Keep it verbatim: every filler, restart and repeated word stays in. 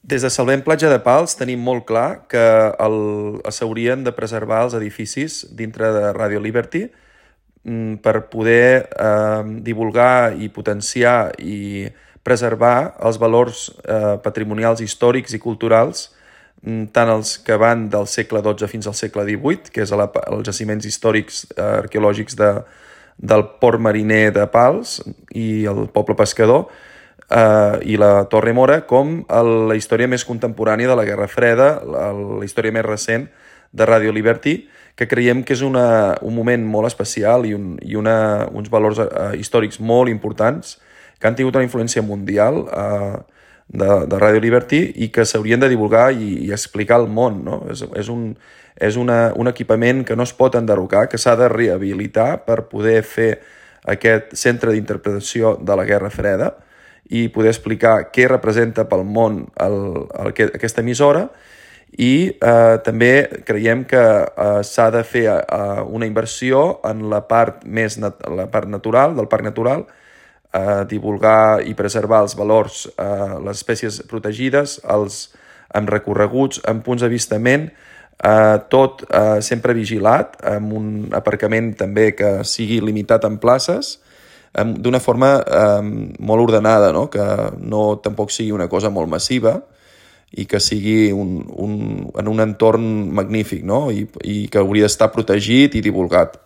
Des de Salvem Platja de Pals tenim molt clar que el- s'haurien de preservar els edificis dintre de Radio Liberty mm, per poder eh, divulgar i potenciar i preservar els valors eh, patrimonials, històrics i culturals, mm, tant els que van del segle dotze fins al segle divuit, que és a la, els jaciments històrics eh, arqueològics de, del port mariner de Pals i el poble pescador, eh, i la Torre Mora, com el, la història més contemporània de la Guerra Freda, la, la història més recent de Radio Liberty, que creiem que és una, un moment molt especial i, un, i una, uns valors eh, històrics molt importants que han tingut una influència mundial eh, de, de Radio Liberty i que s'haurien de divulgar i, i explicar al món, no? És, és, un, és una, un equipament que no es pot enderrocar, que s'ha de rehabilitar per poder fer aquest centre d'interpretació de la Guerra Freda i poder explicar què representa pel món el, el, aquesta emissora. I eh, també creiem que eh, s'ha de fer eh, una inversió en la part més nat la part natural, del parc natural, eh, divulgar i preservar els valors, eh, les espècies protegides, els, amb recorreguts, amb punts d'avistament, eh, tot eh, sempre vigilat, amb un aparcament també que sigui limitat en places, eh, d'una forma eh, molt ordenada, no? Que no tampoc sigui una cosa molt massiva, i que sigui un, un, en un entorn magnífic, no? I, i que hauria d'estar protegit i divulgat.